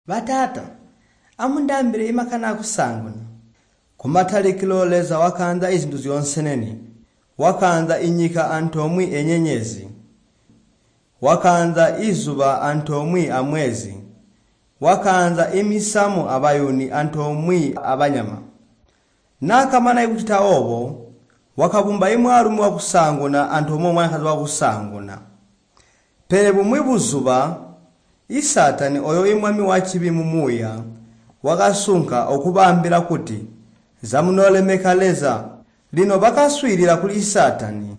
Bataata, amundaambile imakani aakusaanguna. Kumatalikilo Leza wakaanza izintu zyoonseneni. Wakaanza inyika antoomwi enyenyezi. Wakaanza izuba antoomwi amwezi. Wakaanza imisamu abayuni antoomwi abanyama. Naakamana kucita oobo, wakabumba imwaalumi wakusaanguna antoomwe amwanakazi wakusaanguna. Pele bumwi buzuba, Saatani oyo imwami wacibi mumuuya wakasunka okubaambila kuti, "Zamunoolemeka Leza." Lino bakaswiilila kuli Saatani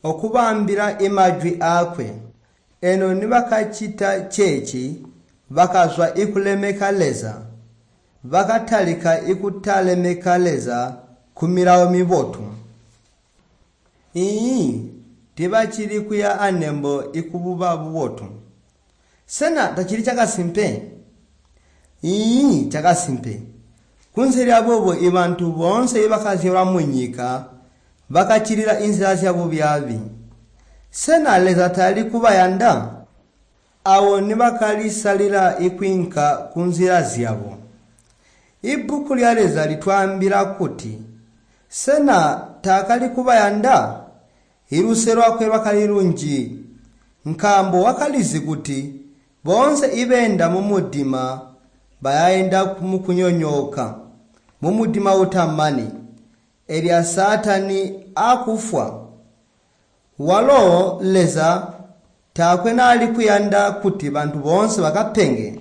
okubaambila imajwi aakwe. Eno nibakacita ceeci, bakazwa ikulemeka Leza. Bakatalika ikutalemeka Leza kumilawo mibotu. Iiyi, tiibacili kuya anembo ikububa bubotu. Sena tacili cakasimpe? Iiyi, cakasimpe. Kunze lyaboobo ibantu boonse ibakazyalwa munyika bakaccilila inzila zyabubyaabi. Sena Leza tali kubayanda? Awo nibakalisalila ikwiinka kunzila zyabo. Ibbuku lya Leza litwaambila kuti, Sena taakali kubayanda? Iluse lwakwe lwakali lunji, nkaambo wakalizi kuti boonse ibeenda mumudima bayaenda mukunyonyooka, mumudima utamani, elya Saatani akufwa. Walo Leza taakwe naali kuyanda kuti bantu boonse bakapenge.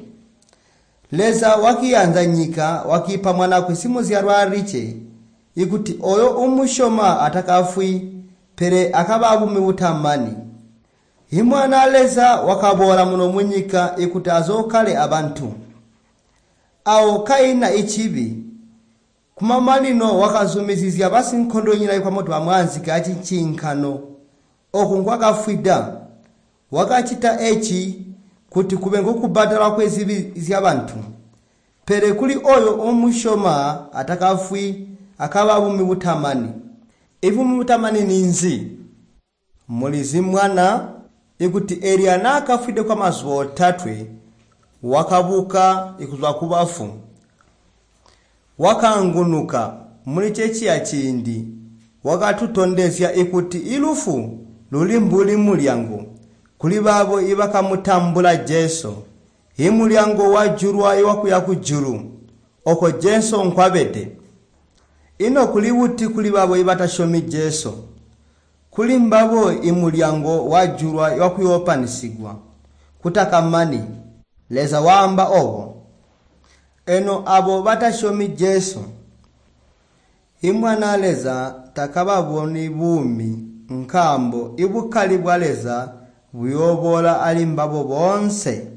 Leza wakiyanza nyika wakiipa mwanaakwe simuzyalwa alikke, ikuti oyo umusyoma atakafwi, pele akaba abuumi butamani. Imwana Leza wakaboola muno munyika ikuti azookale abantu. Awo kaina icibi, kumamanino wakazumizizya basinkondonyina ikwamoto bamwaanzike acincinkano oku nkwakafwida. Wakacita eci kuti kube nkokubbadalwa kwezibi zyabantu. Pele kuli oyo umusyoma atakafwi akaba abuumi butamani. Ibuumi butamani ninzi? Mulizi mwana ikuti Eliya naakafwide kwamazuba otatwe wakabuka ikuzwa kubafu. Wakaangunuka muli ceciya ciindi wakatutondezya ikuti ilufu luli mbuli mulyango kuli baabo ibakamutambula Jesu, imulyango wajulwa iwakuya kujulu, oko Jesu nkwabede. Ino kuli buti kuli baabo ibatasyomi Jesu? Kuli mbabo imulyango wajulwa wakuyoopanisigwa kutakamani. Leza waamba obo. Eno abo batasyomi Jesu, Imwana Leza takababoni buumi nkaambo ibukali bwa Leza buyooboola ali mbabo boonse.